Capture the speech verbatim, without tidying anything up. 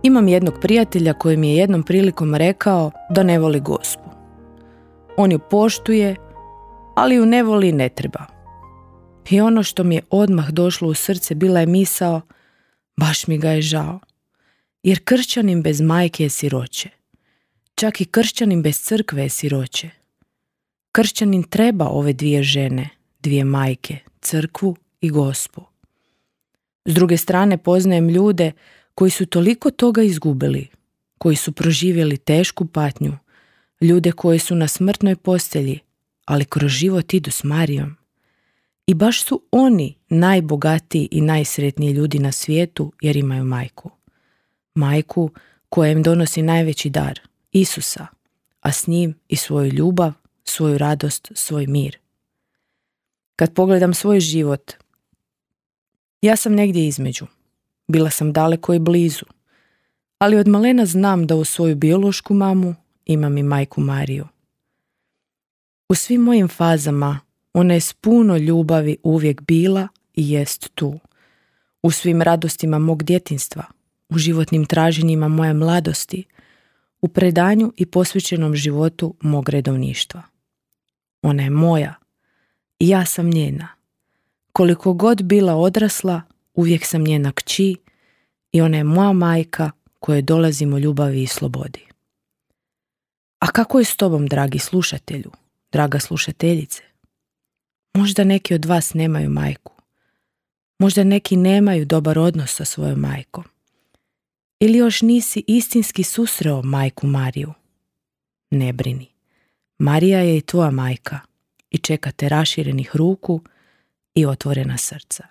Imam jednog prijatelja koji mi je jednom prilikom rekao da ne voli Gospu. On ju poštuje, ali ju ne voli i ne treba. I ono što mi je odmah došlo u srce bila je misao, baš mi ga je žao. Jer kršćanin bez majke je siroće. Čak i kršćanin bez crkve je siroće. Kršćanin treba ove dvije žene, dvije majke, crkvu i Gospu. S druge strane poznajem ljude koji su toliko toga izgubili, koji su proživjeli tešku patnju, ljude koji su na smrtnoj postelji, ali kroz život idu s Marijom. I baš su oni najbogatiji i najsretniji ljudi na svijetu jer imaju majku. Majku koja im donosi najveći dar, Isusa, a s njim i svoju ljubav, svoju radost, svoj mir. Kad pogledam svoj život, ja sam negdje između. Bila sam daleko i blizu, ali od malena znam da u svoju biološku mamu imam i majku Mariju. U svim mojim fazama ona je s puno ljubavi uvijek bila i jest tu. U svim radostima mog djetinjstva, u životnim traženjima moje mladosti, u predanju i posvećenom životu mog redovništva. Ona je moja i ja sam njena. Koliko god bila odrasla, uvijek sam njena kći i ona je moja majka kojoj dolazim u ljubavi i slobodi. A kako je s tobom, dragi slušatelju, draga slušateljice? Možda neki od vas nemaju majku. Možda neki nemaju dobar odnos sa svojom majkom. Ili još nisi istinski susreo majku Mariju. Ne brini. Marija je i tvoja majka i čeka te raširenih ruku i otvorena srca.